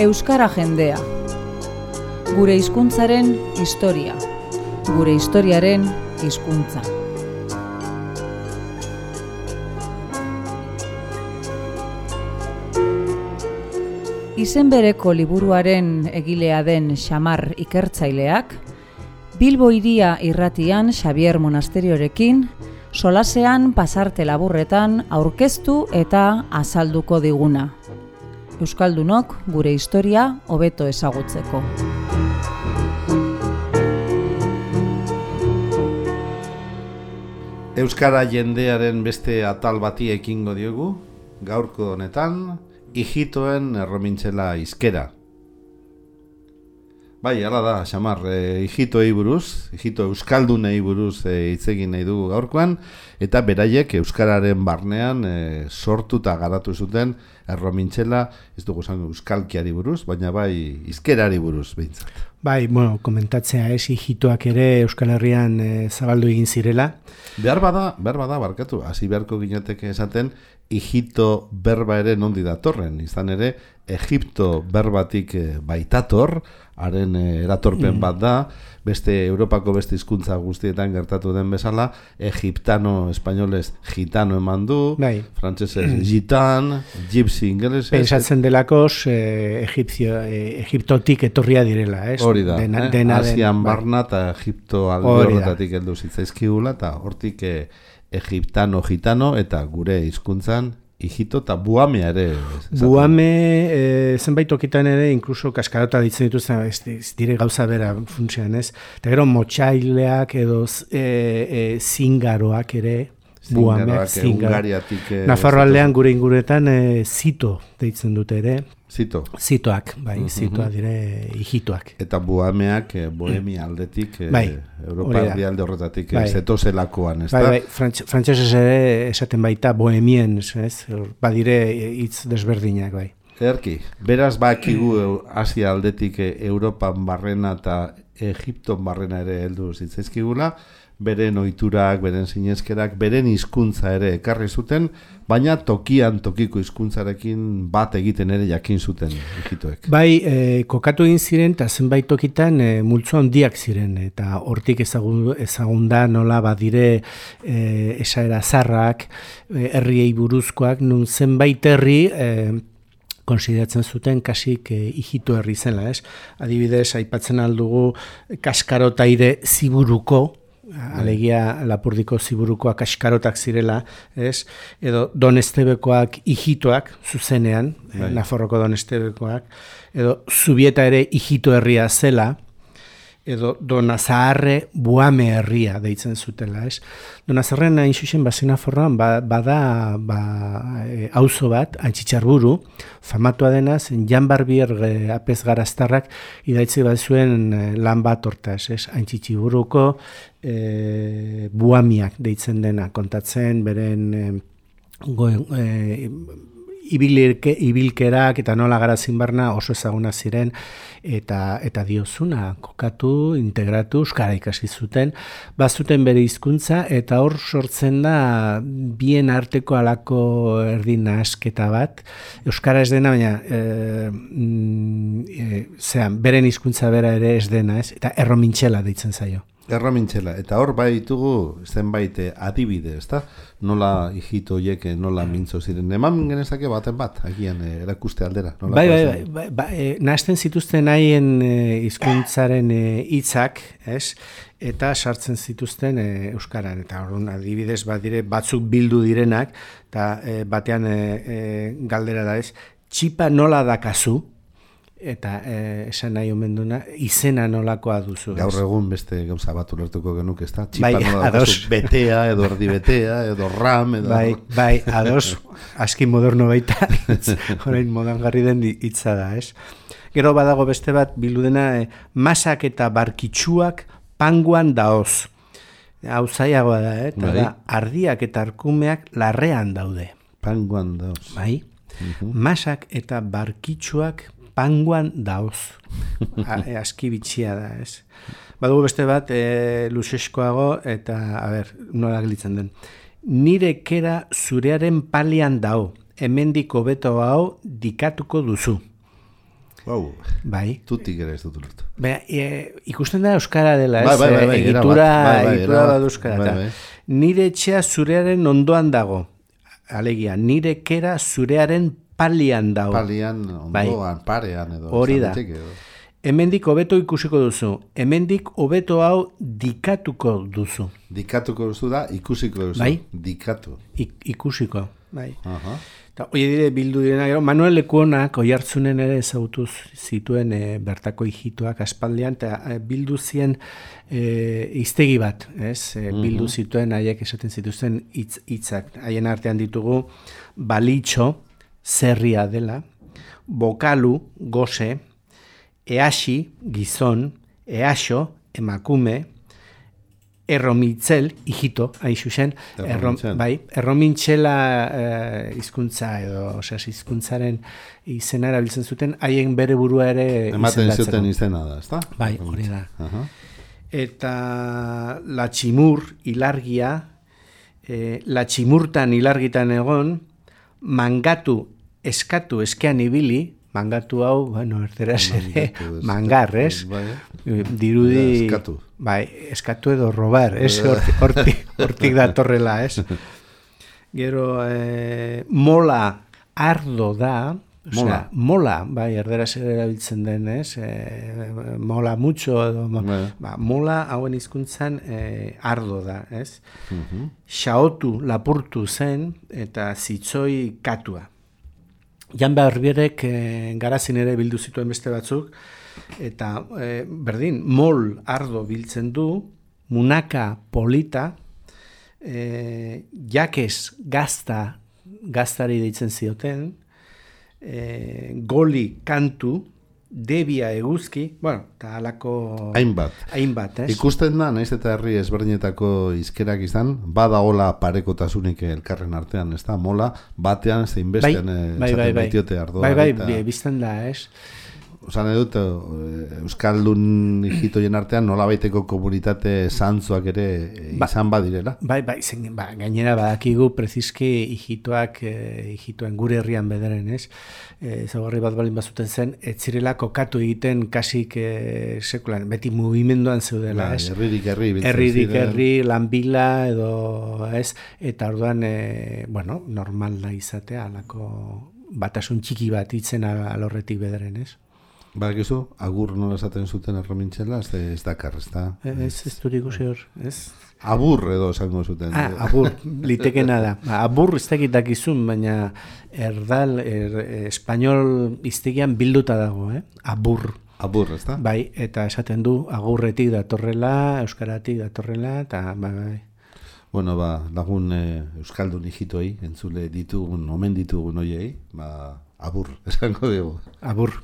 Euskara jendea. Gure hizkuntzaren historia. Gure historiaren hizkuntza. Izen bereko liburuaren egilea den Xamar ikertzaileak, Bilbo Hiria irratian Xabier Monasteriorekin, solasean pasarte laburretan aurkeztu eta azalduko diguna. Euskaldunok gure historia hobeto ezagutzeko. Euskara jendearen beste atal bati ekingo diogu, gaurko honetan, hijitoen erromintzela hizkera. Bai, hala da, Xamar, hijitoei buruz, hijito euskaldunei buruz hitz egin nahi dugu gaurkoan, eta beraiek euskararen barnean sortuta garatu zuten erromintzela, ez dugu esan euskalkiari buruz, baina bai hizkerari buruz behintzat. Bai, bueno, komentatzea hijitoak ere Euskal Herrian zabaldu egin zirela. Behar bada, barkatu, hasi beharko ginateke esaten, hijito berba ere nondi datorren, izan ere, Egipto berbatik baitator, haren eratorpen bat da, beste Europako beste hizkuntza guztietan gertatu den bezala, egiptano, espainolez, gitano eman du, bai. Frantsesez gitan, gypsy ingelesez. Pensatzen delakos, Egiptotik etorria direla, ez? Hori da, Asian barna eta Egipto alde horretatik heldu zitzaizkigula, eta hortik egiptano, gitano, eta gure hizkuntzan, hijito eta buamea ere. Buame, zenbait tokitan ere, inkluso kaskarota ditzen dituzten, ez dire gauza bera funtsean, ez? Eta gero motxaileak edo zingaroak ere, buameak, Hungariatik. Nafarroaldean gure inguretan zito deitzen dute ere. Zitoak, bai, zitoak dire hijitoak. Eta buameak Bohemia aldetik, Europa alde horretatik, zetozelakoan, ez da? Bai, frantsesez ere esaten baita bohemien, ez? Badire hitz desberdinak, bai. Ederki, beraz bakigu Asia aldetik Europan barrena eta Egipton barrena ere heldu zitzaizkigula, beren ohiturak, beren sinezkerak, beren hizkuntza ere ekarri zuten, baina tokiko hizkuntzarekin bat egiten ere jakin zuten hijitoek. Bai, kokatu egin ziren, eta zenbait tokitan multzo handiak ziren, eta hortik ezagun da nola badire esaera zarrak, herriei buruzkoak, nun zenbait herri konsideratzen zuten kasik hijito herri zela, ez? Adibidez, aipatzen aldugu Kaskarotaire Ziburuko, alegia Lapurdiko Ziburukoak kaskarotak zirela, ez? Edo Don Estebekoak hijitoak zuzenean, Nafarroko Don Estebekoak, edo Zubieta ere hijito herria zela, edo Donazaharre Buame herria deitzen zutela, ez? Donazaharren hain zuzen Nafarroan bada auzo bat, Antxitxarburu, famatua denaz, Jan Barbier apez garaztarrak idaitzi bat zuen lan bat hortaz, ez? Antxitxiburuko buamiak deitzen dena, kontatzen beren ibilkerak eta nola garazin barna oso ezaguna ziren eta diozuna kokatu, integratu, euskara ikasi zuten, bazuten bere hizkuntza eta hor sortzen da bien arteko alako erdi nahasketa bat, euskara ez dena, baina beren hizkuntza bera ere ez dena, ez? Eta erromintxela deitzen zaio. Erromintxela, eta hor bai ditugu zenbait adibide, ezta? Nola hijito hiek nola mintzo ziren. Eman genezake baten bat, agian erakuste aldera. Bai, nahasten zituzten haien hizkuntzaren hitzak, ez? Eta sartzen zituzten euskaran. Eta orduan adibidez badire batzuk bildu direnak, eta batean galdera da, ez? Txipa nola dakazu? Eta esan nahi omen duna, izena nolakoa duzu. Gaur egun beste gauza bat ulertuko genuk, ez da? Txipa nola duzu, betea, edo erdi betea, edo ram, edo... Bai, ados, aski moderno baita, horrein modangarri den hitza da, ez? Gero badago beste bat, bildu dena, masak eta barkitsuak panguan daoz. Hau zaiagoa da, eta da, ardiak eta arkumeak larrean daude. Panguan daoz. Bai, masak eta barkitsuak panguan daoz. Aski bitxia da, ez? Badugu beste bat, luzeskoago, eta, nola gelitzen den. Nire kera zurearen palian dao, hemendik hobeto hau dikatuko duzu. Wow. Bai. Tutik ere ez dut ulertu. Ikusten da euskara dela, ez? Egitura bat euskara. Nire etxea zurearen ondoan dago. Alegia, nire kera zurearen palian dago. Palian, ondoan, parean edo. Hori da. Hemendik hobeto ikusiko duzu. Hemendik hobeto hau dikatuko duzu. Dikatuko duzu da, ikusiko duzu. Bai? Dikatu. Ikusiko, bai. Hoi dire bildu direna, gero, Manuel Lekuonak Oiartzunen ere ezagutu zituen bertako hijituak aspaldian, eta bildu zien hiztegi bat, ez? Bildu zituen haiek esaten zituzten hitzak. Haien artean ditugu balitxo, zerria dela, bokalu, goze, easi, gizon, eaxo, emakume, erromitzel, hijito, hain zuzen, erromintxela hizkuntza edo, hizkuntzaren izena erabiltzen zuten, haien bere burua ere ematen zuten izena da, ezta? Bai, hori da. Eta la tximur, ilargia, la tximurtan ilargitan egon, mangatu, eskatu, eskean ibili, mangatu hau, bueno, erderaz ere, mangar, ez? Dirudi... Eskatu. Bai, eskatu edo robar, ez? Hortik datorrela, ez? Gero, mola ardo da, osea, mola, bai, erderaz ere erabiltzen den, ez? Mola mucho, edo, mola hauen hizkuntzan ardo da, ez? Xaotu, lapurtu zen, eta zitzoi katua. Jan Barbierek garazin ere bildu zituen beste batzuk, eta berdin, mol ardo biltzen du, munaka polita, jakes gaztari deitzen zioten, goli kantu, debia eguzki, bueno, eta alako... Hainbat, ez? Ikusten da, naiz eta herri ezberdinetako hizkerak izan, badagola parekotasunik elkarren artean, ez da? Mola, batean, zein bestean esaten baitiote ardoa. Bai, bizten da, ez? Osan edut, Euskaldun hijitoien artean nola baiteko komunitate zantzuak ere izan badirela. Bai, gainera badakigu prezizki hijitoen gure herrian bedaren, ez? Zagarri bat balin bazuten zen, etzirela kokatu egiten kasik sekulan, beti mugimenduan zeudela, ez? Herririk herri, lanbila edo, ez? Eta orduan, normal da izatea, alako batasun txiki bat itzen alorretik bedaren, ez? Badakizu, agur nola esaten zuten erromintxela, ez dakar, ez da? Ez durik usi hor, ez? Abur edo esango zuten. Abur, litekena da. Abur ez dakizun, baina erdal, espanol iztegian bilduta dago, abur. Abur, ez da? Bai, eta esaten du, agurretik datorrela, euskaratik datorrela, eta bai. Bueno, lagun euskaldun hijitoi, entzule ditugun, omen ditugun oiei, abur, esango dugu. Abur.